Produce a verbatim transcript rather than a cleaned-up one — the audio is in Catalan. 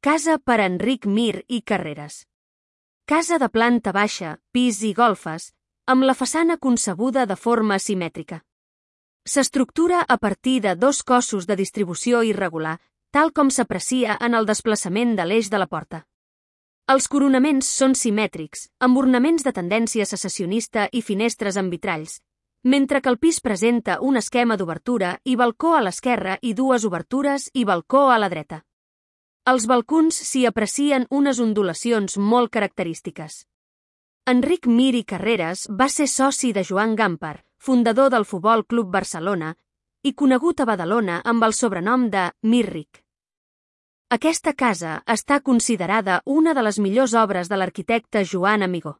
Casa per Enric Mir i Carreras. Casa de planta baixa, pis i golfes, amb la façana concebuda de forma simètrica. S'estructura a partir de dos cossos de distribució irregular, tal com s'aprecia en el desplaçament de l'eix de la porta. Els coronaments són simètrics, amb ornaments de tendència secessionista i finestres amb vitralls, mentre que el pis presenta un esquema d'obertura i balcó a l'esquerra i dues obertures i balcó a la dreta. Als balcons s'hi aprecien unes ondulacions molt característiques. Enric Mir i Carreras va ser soci de Joan Gamper, fundador del Futbol Club Barcelona, i conegut a Badalona amb el sobrenom de Mirric. Aquesta casa està considerada una de les millors obres de l'arquitecte Joan Amigó.